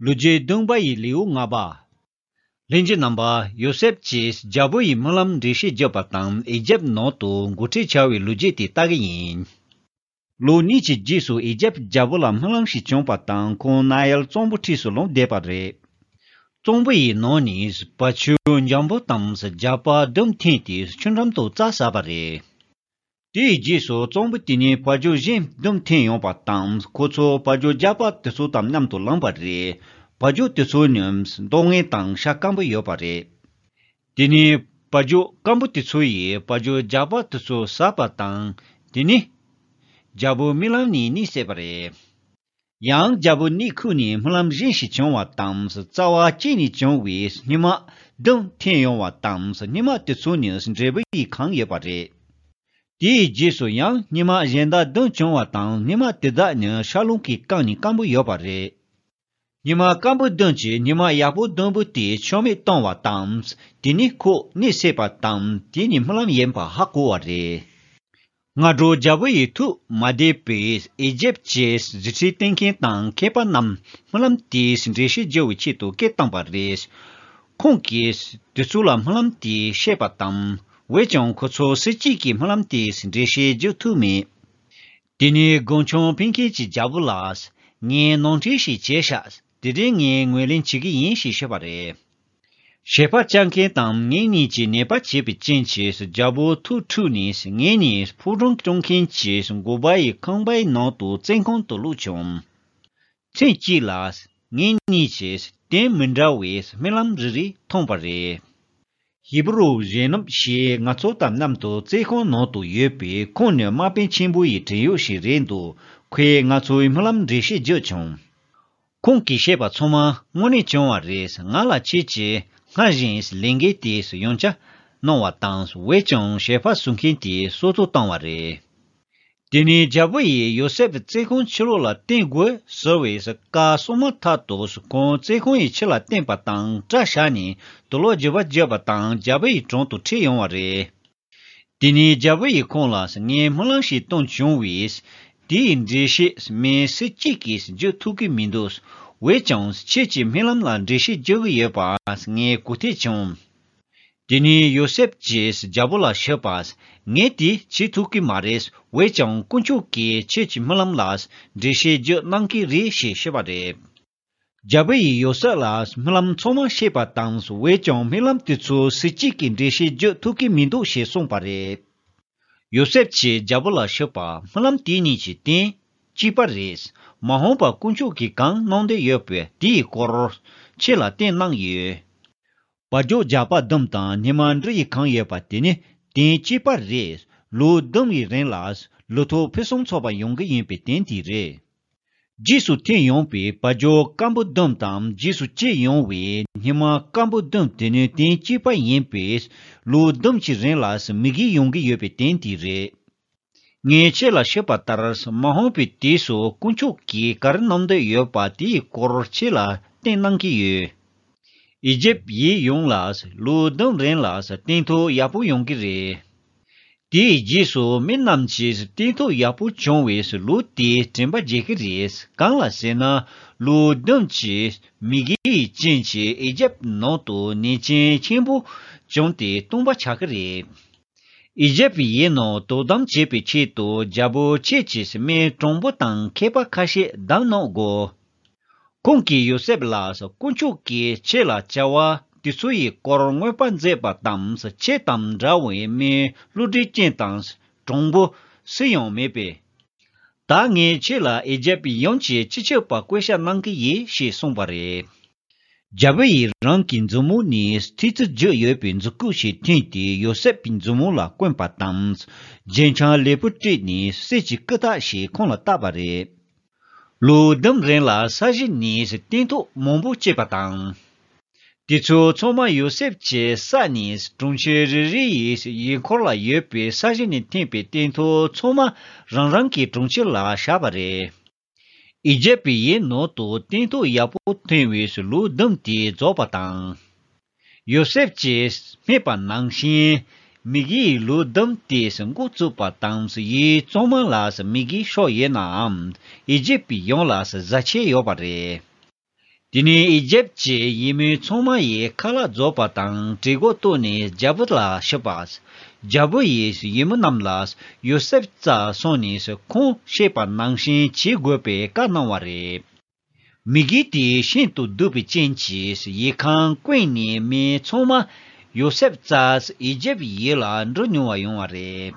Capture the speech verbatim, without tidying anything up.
ལོ་རྒྱུས་བདུན་པ་ཡི་ལེའུ་ལྔ་པ། ལྷན་རྒྱས་རྣམ་པ། ཡོ་སེབ་ཀྱིས་རྒྱལ་པོ་ཡི་སྨོན་ལམ་འགྲེལ་བཤད་བརྒྱབ་པ་དང་ཨི་ཇེབ་ནང་དུ་འགོ་ཁྲིད་བྱ་བའི་ལོ་རྒྱུས་དེ་ལྟ་གི་ཡིན། ལོ་གཉིས་ཀྱི་རྗེས་སུ་ཨི་ཇེབ་རྒྱལ་པོ་ལ་སྨོན་ལམ་ཞིག་བྱུང་བ་དང་ཁོང་ནཱ་ཡལ་གཙང་པོ་འཁྲིས་སུ་ལོག་བསྡད་པ་རེད། གཙང་པོ་ཡི་ནང་ནས་བ་ཕྱུགས་འཇམ་པོ་དང་རྒྱགས་པ་བདུན་འཐེན་ཏེ་ཆུ་འགྲམ་དུ་རྩྭ་ཟ་བ་རེད། དེའི་རྗེས་སུ་གཙང་པོ་དེ་ནས་བ་ཕྱུགས་གཞན་བདུན་འཐེན་ཡོང་བ་དང་ཁོ་ཚོ་བ་ཕྱུགས་རྒྱགས་པ་དེ་ཚོ་དང་མཉམ་དུ་ལངས་པ་རེད། བ་ཕྱུགས་དེ་ཚོ་ནི་མདོག་ངན་དང་ཤ་སྐམ་པོ་ཡོད་པ་རེད། དེ་ནས་བ་ཕྱུགས་སྐམ་པོ་དེ་ཚོ་ཡིས་བ་ཕྱུགས་རྒྱགས་པ་དེ་ཚོ་ཟ་བ་དང་དེ་ནས་རྒྱལ་པོའི་རྨི་ལམ་ནས་གཉིད་སད་པ་རེད། ཡང་རྒྱལ་པོ་གཉིད་ཁུག་ནས་སྨོན་ལམ་གཞན་ཞིག་བྱུང་བ་དང་རྩ་བ་གཅིག་ནས་བྱུང་བའི་སྙེ་མ་བདུན་འཐེན་ཡོང་བ་དང་སྙེ་མ་དེ་ཚོ་ནི་འབྲས་བུ་ཡིས་གང་ཡོད་པ་རེད། དེའི་རྗེས་སུ་ཡང་སྙེ་མ་གཞན་དག་བདུན་བྱུང་བ་དང་སྙེ་མ་དེ་དག་ནི་ཤར་རླུང་གིས་བཀང་ནས་སྐམ་པོ་ཡོད་པ་རེད། སྙེ་མ་སྐམ་པོ་བདུན་གྱིས་སྙེ་མ་ཡག་པོ་བདུན་པོ་དེ་ཆག་མེད་བཏང་བ་དང་དེ་ནས་ཁོ་གཉིད་སད་པ་དང་དེ་ནི་སྨོན་ལམ་ཡིན་པ་ཧ་གོ་བ་རེད། སྔ་དྲོ་རྒྱལ་པོ་ཡི་ཐུགས་མ་བདེ་བས་ཨི་ཇེབ་ཀྱི་རྫུ་འཕྲུལ་སྟོན་མཁན་དང་མཁས་པ་རྣམས་སྨོན་ལམ་དེའི་འགྲེལ་བཤད་རྒྱག་པའི་ཆེད་དུ་སྐད་བཏང་པ་རེད། ཁོང་གིས་དེ་ཚོ་ལ་སྨོན་ལམ་དེ་བཤད་པ་དང་འོན་ཀྱང་ཁོ་ཚོ་སུ་གཅིག་གིས་སྨོན་ལམ་དེའི་འགྲེལ་བཤད་རྒྱག་ཐུབ་མེད། དེ་ནས་རྒུན་ཆང་འབུལ་མཁན་གྱིས་རྒྱལ་པོ་ལ། ངས་ནོར་འཁྲུལ་ཞིག་བྱས་ཤག་དེ་རིང་ངས་ངོས་ལེན་བྱེད་ཀྱི་ཡིན་ཞེས་བཤད་པ་རེད། ཞལ་པར་བཅར་མཁན་དང་ངེད་གཉིས་ཀྱིས་ནད་པ་བྱེད་པའི་རྐྱེན་གྱིས་རྒྱལ་པོ་ཐུགས་འཁྲུགས་ནས་ངེད་གཉིས་ཕོ་བྲང་སྐྱོང་མཁན་གྱི་འགོ་པ་ཡི་ཁང་པའི་ནང་དུ་བཙོན་ཁང་དུ་བླུགས་བྱུང་། མཚན་གཅིག་ལ་ངེད་གཉིས་ཀྱིས་དོན་མི་འདྲ་བའི་སྨོན་ལམ་རེ་རེ་ཐོངས་པ་རེད། ཧི་བུ་རུ་གཞོན་ནུ་ཞིག་ང་ཚོ་དང་མཉམ་དུ་བཙོན་ཁང་ནང་དུ་ཡོད་པས་ཁོང་ནི་དམག་དཔོན་ཆེན་པོ་ཡི་བྲན་གཡོག་ཞིག་རེད་འདུག་ཁོས་ང་ཚོའི་སྨོན་ལམ་འགྲེལ་བཤད་བརྒྱབ་བྱུང་། ཁོང་གིས་བཤད་པ་ཚང་མ་དངོས་གནས་བྱུང་བ་རེད། ང་ལ་ཁྱེད་ཀྱིས་སྔར་བཞིན་ལས་འགན་དེ་ཡང་བསྐྱར་གནང་བ་དང་འོན་ཀྱང་ཞལ་པར་བཟོ་མཁན་དེ་སྲོག་ཐོག་བཏང་བ་རེད། དེ་ནས་རྒྱལ་པོ་ཡིས་ཡོ་སེབ་བཙོན་ཁང་ཕྱི་ལོགས་ལ་བཏོན་དགོས་ཟེར་བའི་བཀའ་གསུངས་མ་ཐག་ཏུ་ཁོང་བཙོན་ཁང་ཡི་ཕྱི་ལ་བཏོན་པ་དང་སྐྲ་བཞར་ནས་དུག་ལོག་རྒྱུ་བ་བརྒྱབ་པ་དང་རྒྱལ་པོ་ཡི་དྲུང་དུ་ཁྲིད་ཡོང་བ་རེད། དེ་ནས་རྒྱལ་པོ་ཡིས་ཁོང་ལ་ངས་སྨོན་ལམ་ཞིག་བཏང་བྱུང་བས་དེའི་འགྲེལ་བཤད་མི་སུ་གཅིག་གིས་བརྗོད་ཐུབ་ཀྱི་མི་འདུག་འོན་ཀྱང་ཁྱེད་ཀྱི་སྨོན་ལམ་ལ་འགྲེལ་བཤད་རྒྱག་གི་ཡོད་པ་ངས་གོ་ཐོས་བྱུང་། དེ་ནས་ཡོ་སེབ་ཀྱིས་རྒྱལ་པོ་ལ་ཞུས་པ། ངས་དེ་བྱེད་ཐུབ་ཀྱི་མ་རེད། འོན་ཀྱང་དཀོན་མཆོག་གིས་ཁྱེད་ཀྱི་སྨོན་ལམ་ལ་འགྲེལ་བཤད་རྒྱག་གནང་གི་རེད་ཞེས་ཞུས་པ་རེད། རྒྱལ་པོ་ཡིས་ཡོ་སེབ་ལ་སྨོན་ལམ་ཚང་མ་བཤད་པ་དང་འོན་ཀྱང་སྨོན་ལམ་དེ་ཚོ་སུ་གཅིག་གིས་འགྲེལ་བཤད་རྒྱག་ཐུབ་ཀྱི་མི་འདུག་ཞེས་གསུངས་པ་རེད། ཡོ་སེབ་ཀྱིས་རྒྱལ་པོ་ལ་ཞུས་པ། སྨོན་ལམ་དེ་གཉིས་ཀྱི་དོན་གཅིག་པ་རེད། མ་འོངས་པར་དཀོན་མཆོག་གིས་གང་གནང་འདོད་ཡོད་པའི་དེའི་སྐོར་ཁྱེད་ལ་བསྟན་གནང་ཡོད། བ་ཕྱུགས་རྒྱགས་པ་བདུན་དང་སྙེ་མ་འབྲུ་ཡིས་གང་ཡོད་པ་དེ་ནི་དོན་གཅིག་པ་རེད། ལོ་བདུན་ཡི་རིང་ལ་ལོ་ཐོག་ཕུན་སུམ་ཚོགས་པ་ཡོང་གི་ཡིན་པའི་དོན་དེ་རེད། རྗེས་སུ་ཐོན་ཡོང་བའི་བ་ཕྱུགས་སྐམ་པོ་བདུན་དང་རྗེས་སུ་སྐྱེས་ཡོང་བའི་སྙེ་མ་སྐམ་པོ་བདུན་དེ་ནི་དོན་གཅིག་པ་ཡིན་པས་ལོ་བདུན་གྱི་རིང་ལ་མུ་གེ་ཡོང་གི་ཡོད་པའི་དོན་དེ་རེད། ངས་ཁྱེད་ལ་ཞུས་པ་ལྟར་མ་འོངས་པའི་དུས་སུ་དཀོན་མཆོག་གིས་ག་རེ་གནང་འདོད་ཡོད་པ་དེའི་སྐོར་ཁྱེད་ལ་བསྟན་གནང་གི་ཡོད། ཨི་ཇེབ་ཡུལ་ཡོངས་ལ་ལོ་བདུན་རིང་ལ་སྟོན་ཐོག་ཡག་པོ་ཡོང་གི་རེད། དེའི་རྗེས་སུ་མི་རྣམས་ཀྱིས་སྟོན་ཐོག་ཡག་པོ་བྱུང་བའི་ལོ་དེ་དྲན་པ་བརྗེད་ཀྱི་རེད། གང་ལ་ཟེར་ན་ལོ་བདུན་གྱི་མུ་གེའི་རྐྱེན་གྱིས་ཨི་ཇེབ་ནང་དུ་ནད་ཅན་ཆེན་པོ་བྱུང་སྟེ་སྟོང་པ་ཆགས་ཀྱི་རེད། ཨི་ཇེབ་ཡུལ་ནང་དོ་དམ་བྱེད་པའི་ཆེད་དུ་རྒྱལ་པོ་ཁྱེད་ཀྱིས་མི་གྲུང་པོ་དང་མཁས་པ་ཁ་ཤས་བདམས་གནང་དགོས། ཁོང་གིས་ཡོ་སེབ་ལ་དཀོན་མཆོག་གིས་ཁྱེད་ལ་བྱ་བ་དེ་ཚོ་ཡི་སྐོར་མངོན་པ་མཛད་པ་དང་ཁྱེད་དང་འདྲ་བའི་མི་བློ་གྲོས་ཅན་དང་གྲུང་པོ་སུ་ཡང་མེད་པས། ད་ངས་ཁྱེད་ལ་ཨི་ཇེབ་ཡོངས་ཀྱི་སྤྱི་ཁྱབ་པ་བསྐོ་བཞག་གནང་གི་ཡིན་ཞེས་གསུངས་པ་རེད། རྒྱལ་པོ་ཡིས་རང་གི་མཛུབ་མོ་ནས་ཐིག་ཙི་བརྗོད་ཡོད་པའི་མཛུབ་གུ་ཞིག་འཐེན་ཏེ་ཡོ་སེབ་ཀྱི་མཛུབ་མོ་ལ་བསྐོན་པ་དང་། རྒྱན་ཆ་ལེགས་པོ་སྤྲས་ནས་གསེར་གྱི་སྐུ་དག་ཞིག་ཁོང་ལ་བཏགས་པ་རེད། ལོ་བདུན་རིང་ལ་ས་གཞི་ནས་སྟོན་ཐོག་མང་པོ་སྐྱེས་པ་དང་། དེ་ཚོ་ཚང་མ་ཡོ་སེབ་ཀྱིས་བསགས་ནས་གྲོང་ཁྱེར་རེ་རེ་ཡི་ཡུལ་འཁོར་ལ་ཡོད་པའི་ས་གཞི་ནས་འཐེན་པའི་སྟོན་ཐོག་ཚང་མ་རང་རང་གི་གྲོང་ཁྱེར་ལ་བཞག་པ་རེད། ཨི་ཇེབ་ཡུལ་ནང་དུ་སྟོན་ཐོག་ཡག་པོ་ཐོན་བའི་ལོ་བདུན་དེ་རྫོགས་པ་དང་། ཡོ་སེབ་ཀྱིས་སྨྲས་པ་ནང་བཞིན་མུ་གེའི་ལོ་བདུན་དེ་འགོ་བཙུགས་པ་དང་ཡུལ་གཙང་མ་ལ་མུ་གེ་ཤོར་ཡོད་ནའང་ཨི་ཇེབ་ཡོངས་ལ་བཟའ་ཆས་ཡོད་པ་རེད། དེ་ནས་ཨི་ཇེབ་ཀྱི་ཡུལ་མི་ཚང་མ་ཡིས་ཁ་ལག་རྫོགས་པ་དང་བྲིས་སྒོ་བཏོན་ནས་རྒྱལ་པོ་ལ་ཞུས་པ། རྒྱལ་པོ་ཡིས་ཡུལ་མི་རྣམས་ལ་ཡོ་སེབ་རྩར་སོང་ནས་ཁོང་བཤད་པ་ནང་བཞིན་བྱེད་དགོས་པའི་བཀའ་གནང་བ་རེད། མི་དགེ་དེ་ཤིན་ཏུ་སྡུག་པའི་རྐྱེན་གྱིས་ཡུལ་ཁམས་ཀུན་ནས་མི་ཚང་མ་ཡོ་སེབ་རྩར་ཨི་ཇེབ་ཡུལ་ལ་འགྲོ་མྱོང་བ་ཡོང་བ་རེད།